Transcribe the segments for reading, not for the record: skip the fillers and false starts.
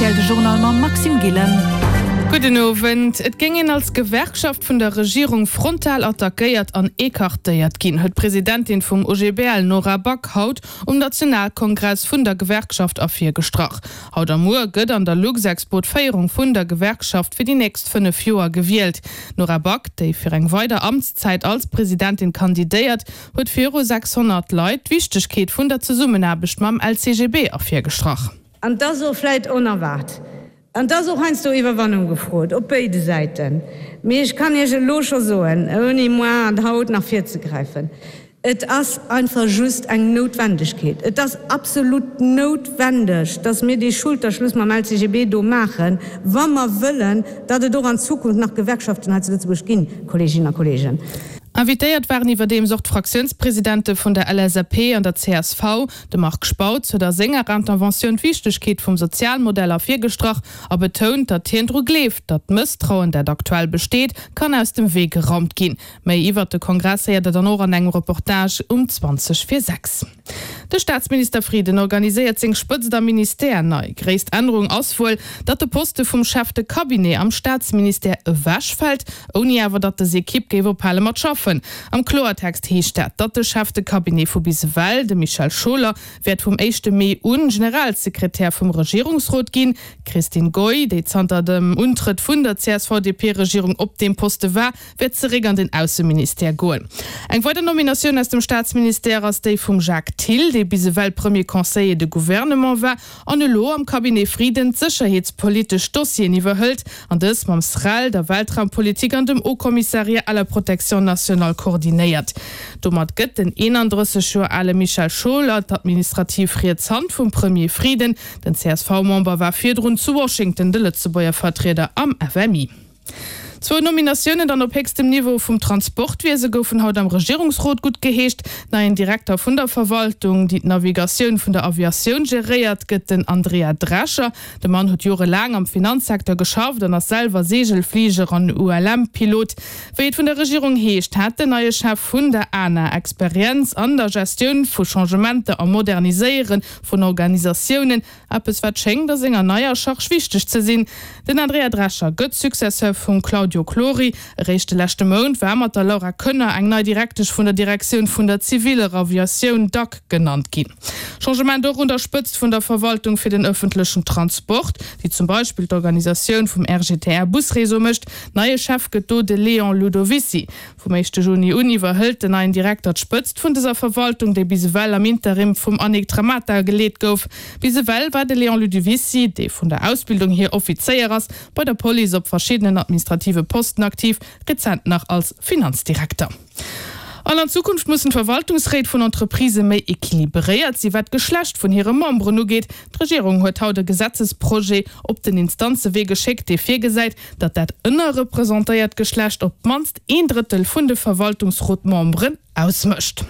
Rtl de Journal mam Maxime Gillen. Gudden Owend. Et géing een als Gewerkschaft vun der Regierung frontal attackéiert an ecartéiert ginn, huet d'Presidentin vum OGBL Nora Back haut um Nationalkongress vun der Gewerkschaft ervirgestrach. Haut a muer gëtt an der Luxexpo d'Féierung vun der Gewerkschaft fir déi nächst 5 Joer gewielt. D'Nora Back, déi fir eng weider Amtszäit als Presidentin kandidéiert, huet viru 600 Leit d'Wichtegkeet vun der Zesummenaarbecht mam LCGB ervirgestrach. An 't ass och vläit onerwaart. An 't ass och heiansdo Iwwerwannung gefrot, op béide Säiten. Mee ech kann Iech elo scho soen, ouni moar an haut nach virzegräifen, Et ass einfach just eng Noutwendegkeet. Et ass absolut noutwendeg, dass mir dee Schulterschluss mam LCGB do maachen, wa mer wëllen, datt et och an Zukunft nach Gewerkschaften hei zu Lëtzebuerg ginn, Kolleeginnen a Kolleegen. Invitéiert waren iwwerdeems och d'Fraktiounspresidente vun der LSAP an der csv. De Marc Spautz huet a senger Interventioun d'Wichtegkeet vum Sozialmodell ervirgestrach a betount, datt hien dru gleeft, datt d'Mësstrauen, dat aktuell besteet, kann aus dem Wee geraumt ginn. Méi iwwert de Kongress héiert der dann och an engem Reportage um 20 vir 6. De Staatsminister Frieden organiséiert seng Spëtzt am Ministère nei. Gréisst Ännerung ass wuel, datt de Poste vum Chef de Cabinet am Staatsministère ewechfält, ouni awer datt des Ekipp géif ophale mat schaffen. Am Kloertext heescht dat, datt de Chef de Cabinet vu bis ewell, de Michel Scholer, wäert vum éischte Mee un Generalsekretär vum Regierungsrot ginn. D'Christine Goy, déi zanter dem Untrëtt vun der CSV-DP-Regierung op deem Poste war, wäert zeréck an den Ausseministère goen. Eng weider Nominatioun aus dem Staatsministère ass déi vum Jacques Thill, dee bis ewell Premier Conseiller de Gouvernement war an elo am Cabinet Frieden d'sécherheetspolitesch Dossieren iwwerhëlt an dës mam SREL, der Weltraumpolitik an dem Haut Commissariat à la protection nationale koordinéiert. Domat gëtt den 31 Joer ale Michel Scholer d'administrativ riets Hand vum Premier Frieden. Den CSV-Member war virdrun zu Washington de Lëtzebuerger Vertrieder am FMI. Zwou Nominatiounen dann op héchstem Niveau vum Transportwiese goufen haut am Regierungsrot guttgeheescht. Neien Direkter vun der Verwaltung, déi d'Navigatioun vun der Aviatioun geréiert, gëtt den Andrea Drescher. De Mann huet jorelaang am Finanzsecteur geschafft an ass selwer Seegelfliger an ULM-Pilot. Wéi et vun der Regierung heescht, hat den neie Chef vun der ANA Experienz an der Gestioun vu Changementer a Moderniséiere vun Organisatiounen. Eppes wat schéngt a senger neier Charge wichteg ze sinn. Den Andrea Drescher gëtt Successeur vum Claudio Clori. Eréischt de leschte Mount war mat der Laura Koenner eng nei Direktesch vun der Direktioun vun der ziviller Aviatioun, dac, genannt ginn. Changement och un der Spëtzt vun der Verwaltung fir den ëffentlechen Transport, déi zum Beispill d'Organisatioun vum RGTR-Busreseau mécht. Neie Chef gëtt do de Léon Ludovicy. Vum éischte Juni un iwwerhëlt den neien Direkter d'Spëtzt vun dëser Verwaltung, déi bis ewell am Interim vum Annick Tramata geleet gouf. Bis ewell war de Léon Ludovicy, dee vun der Ausbildung hier Offizéier ass, bei der Police op verschiddenen administrative Posten aktiv, rezent nach als Finanzdirekter. An an Zukunft mussen d'Verwaltungsréit vun Entreprisë méi equilibréiert si wat d'Geschlecht vun hire Memberen ugeet. D'Regierung huet haut e Gesetzesprojet op den Instanzewee geschéckt, dee virgesäit, datt dat ënnerrepresentéiert Geschlecht op d'mannst een Drëttel vun de Verwaltungsrotmemberen ausmécht.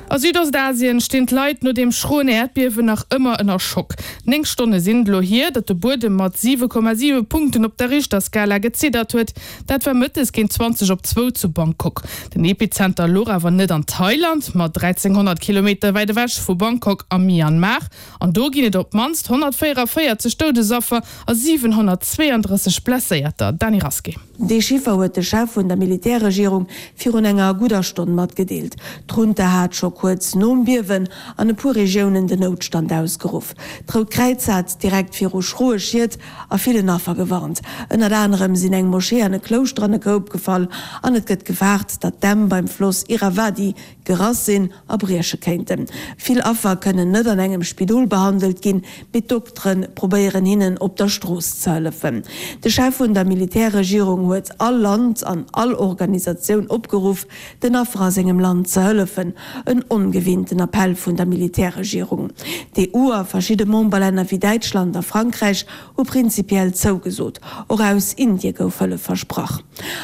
A Südostasien stinn d'Leit no deem schroen Äerdbiewen nach ëmmer ënner Schock. 9 Stonne sinn et elo hier, datt de Buedem mat 7,7 Punkten op der Richterskala geziddert huet. Dat war mëttes géint 20 op zwou zu Bangkok. Den Epizenter louch awer net an Thailand, ma 1.300 Kilometer wäit ewech vu Bangkok am Myanmar. An do ginn et op d'mannst 144 Doudesaffer a 732 Blesséierter. Dany Rasqué. Dee Chiffer huet de Chef vun der Militärregierung virun enger gudder Stonn matgedeelt. D'Junta hat scho kuerz nom Biewen an e puer Regiounen den Noutstand ausgeruff. D'Rout Kräiz hat direkt viru schroe Schied a villen Affer gewarnt. Ënnert anerem sinn eng Moschee an e Klouschter an e Koup gefall an et gëtt gefaart, datt d'Dämm beim Floss Irrawaddy gerass sinn a brieche kéinten. Vill Affer kënnen net an engem Spidol behandelt ginn, mee d'Doktere probéieren hinnen op der Strooss ze hëllefen. De Chef vun der Militärregierung huet all Land an all Organisatioun opgeruff, den Affer a sengem Land ze hëllefen. En ongewinnten Appell vun der Militärregierung. D'EU a verschidde Memberlänner wéi Däitschland a Frankräich hu prinzipiell zougesot. Och aus Indie gouf Hëllef versprach.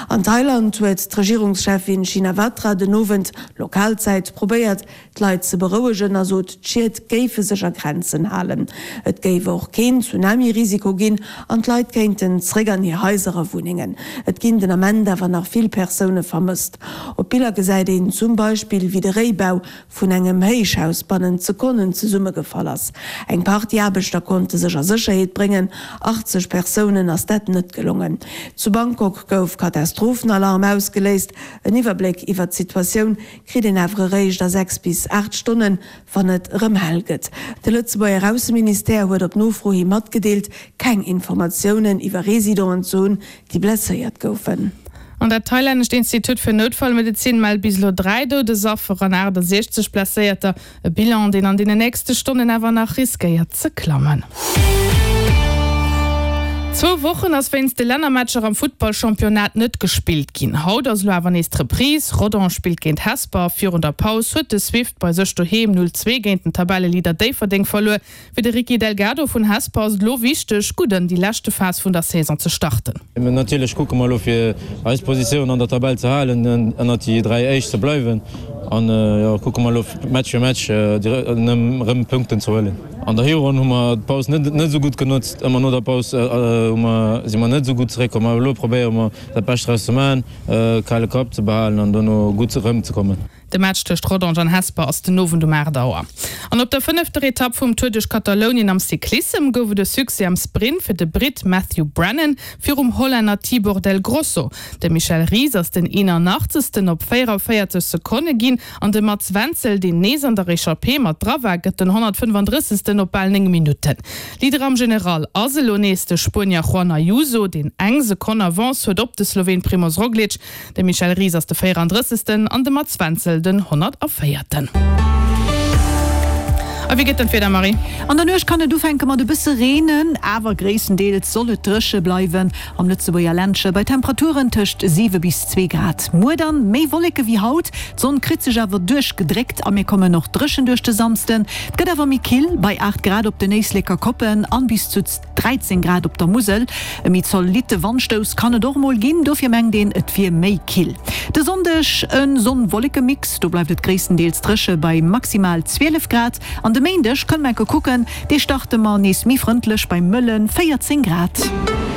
An Thailand huet d'Regierungscheffin Shinawatra den Owend, Lokalzäit, probéiert, d'Leit ze berouegen a sot, d'Schied géife sech a Grenzen halen. Et géif och keen Tsunami-Risiko ginn an d'Leit kéinten zréck an hir Haiser a Wunnengen. Et ginn den Ament awer nach vill Persoune vermësst. Op Biller gesäit een zum Beispill, wéi de Réibau. vun engem Héichhaus bannent Sekonnen zesummegefall ass. Eng Partie Aarbechter konnte sech a Sécherheet bréngen, 80 Persounen ass dat net gelongen. Zu Bangkok gouf Katastrophenalarm ausgeléist. En Iwwerbléck iwwer d'Situatioun kritt een awer eréischt a 6 bis 8 Stonnen, wann et erëm hell gëtt. De Lëtzebuerger Ausseministère huet op Nofro hi matgedeelt, keng Informatiounen iwwer Residenten ze hunn, déi blesséiert goufen. An dat thailännescht Institut fir Noutfallmedezin mellt bis elo 3 Doudesaffer an 68 Blesséierter. E Bilan, deen an deenen nächste Stonnen awer nach riskéiert ze klammen. Zwou Wochen ass wéinst de Lännermatcher am Futtballchampionnat net gespillt ginn. Haut ass elo awer nees d'Reprise. Rodange spillt géint Hesper. Virun der Paus huet de Swift bei sech doheem 0, 2 géint den Tabelleleader Déifferdeng verluer. Fir de Ricky Delgado vun Hesper ass et elo wichteg, gutt an déi leschte Phas vun der Saison ze starten. Natierlech kucke mer elo fir eis Positioun an der Tabell ze halen, ënnert déi 3 éischt ze bleiwen an jo kucke mer elo Match fir Match erëm Punkten ze huelen. An der Hironn hu mer d'Paus net esou gutt genotzt, ëmmer no der Paus hu mer si mer net esou gutt zeréckkomm, awer elo probéiere mer dat Bescht draus ze maachen, kale Kapp ze behalen an dono gutt erëmzekommen. De Match tëscht Rodange an Hesper ass den Owend um 8 Auer. An op der fënnefter Etapp vum Tour duerch Katalounien am Cyclissem gouf et e Succès am Sprint fir de Britt Matthew Brennan virum Hollänner Tibor del Grosso. De Michel Ries ass den 81. Op 44 Sekonne ginn an de Mats Wenzel, deen nees an der Echappée mat dra war, gëtt den 135. op bal 9 Minutten. Leader am General ass elo nees de Spuenier Juan Ayuso, deen eng Sekonn Avance huet op de Sloween Primoz Roglic. De Michel Ries ass de 34. An de Mats Wenzel den 104. A wéi gëtt dann d'Wieder, Marie? An der Nuecht kann et ufänke mat e bësse Reenen, awer gréisstendeels soll et dréche bleiwen am Lëtzebuerger Ländche bei Temperaturen tëscht 7 bis 2 Grad. Muer dann méi Wolleke wéi haut, d'Sonn kritt sech awer duerchgedréckt a mir kommen och dréchen duerch de Samsden. Et gëtt awer méi kill bei 8 Grad op den Éisleker Koppen an bis zu. 13 Grad op der Musel. E méi zolitte Wandstouss kann et och mol ginn, dofir mengt een, et wier méi kill. De Sonndeg e Sonn-Wolleke-Mix, do bleift et gréisstendeels dréche bei maximal 12 Grad. An de Méindeg kënne mer enke kucken, dee starte mer nees méi frëndlech bei mëlle 14 Grad.